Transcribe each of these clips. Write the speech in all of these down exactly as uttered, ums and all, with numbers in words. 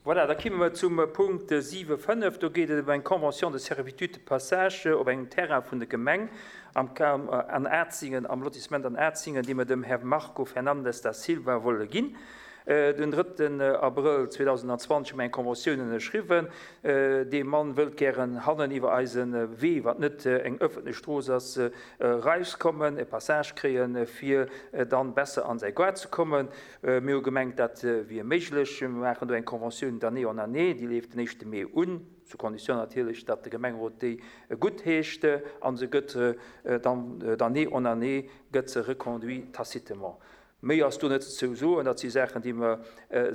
Voilà, da kimme mer zum Punkt siwe fënnef. Do geet et ëm eng Convention de servitude de passage op engem Terrain vun der Gemeng am an Atzingen, am Lotissement an Atzingen, déi mer dem Här Marco Fernandes da Silva wolle ginn. Den drëtten Abrëll zweedausendzwanzeg hu mer eng Conventioun ënnerschriwwen. Dee Mann wëllt gären hannen iwwer eise Wee, wat net eng ëffentlech Strooss ass, erauskommen, e Passage kréien, fir dann besser an säi Goart ze kommen. Mir hu gemengt, dat wier méiglech. Mir maachen do eng Conventioun d'année en année, déi leeft den éischte Mee un, sous condition natierlech, datt de Gemengerot déi guttheescht, a se gëtt dann d'année en année gëtt se reconduit tacitement. Méi ass do net ze soen. Dat si Saachen, déi mer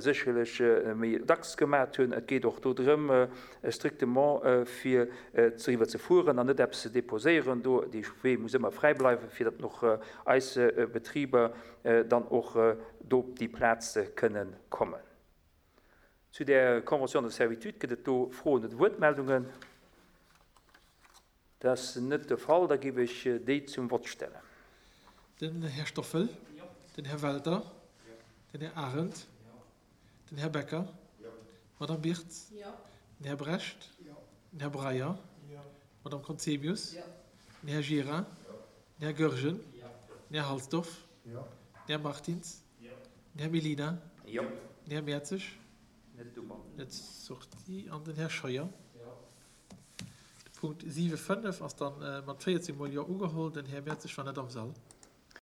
sécherlech méi dacks gemat hunn. Et geet och do drëm, strictement fir driwwer ze fueren an net eppes ze déposéieren do. Dee Wee muss ëmmer fräi bleiwen, fir datt och eis Betriber dann och do op déi Plaz kënnen kommen. Zu där Convention de servitude gëtt et do Froen oder Wuertmeldungen? Dat ass net de Fall. Da géif ech déi zum Vott stellen. Den Här Stoffel. Den Här Welter. Den Här Arendt. Den Här Becker. D'Madame Birtz. Den Här Brecht. Den Här Breyer. D'Madame Conzemius. Den Här Gira. Den Här Goergen. Den Här Halsdorf. Den Här Martins. Den Här Mellina. Den Här Mertzig. Net sorti. An den Här Scheuer. De Punkt siwe fënnef ass dann mat véierzéng mol Jo ugeholl. Den Här Mertzig war net am Sall.